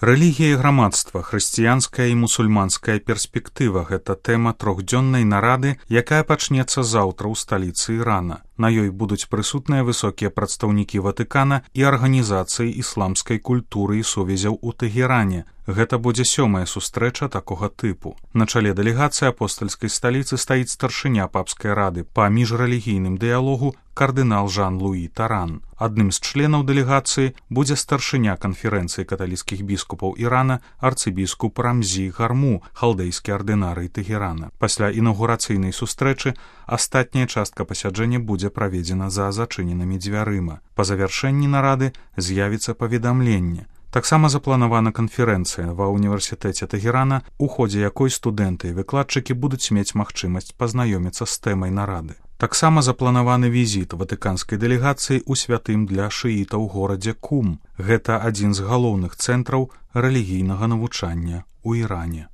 Рэлігія і грамадства, хрысціянская і мусульманская перспектыва – гэта тэма трохдзённай нарады, якая пачнецца заўтра ў сталіцы Ірана. На ёй будуць прысутныя высокія прадстаўнікі Ватыкана і арганізацыі ісламскай культуры і сувязяў у Тэгеране. Гэта будзе 7-я сустрэча такога тыпу. На чале дэлегацыі апостальскай сталіцы стаіць старшыня папскай рады па міжрэлігійным дыялогу кардынал Жан-Луі Таран. Адным з членаў дэлегацыі будзе старшыня канферэнцыі каталіцкіх біскупаў Ірана арцыбіскуп Рамзі Гарму, халдэйскі ардынарый Тэгерана. Пасля інаўгурацыйнай сустрэчы астатняя частка пасяджэння будзе праведзена за зачыненымі дзвярыма. Па завяршэнні нарады з'явіцца паведамленне. Таксама запланавана канферэнцыя ва ўніверсітэце Тэгерана, у ходзе якой студэнты і выкладчыкі будуць мець магчымасць пазнаёміцца з тэмай нарады. Таксама запланаваны візіт ватыканскай дэлегацыі ў святым для шыітаў горадзе Кум. Гэта адзін з галоўных цэнтраў рэлігійнага навучання ў Іране.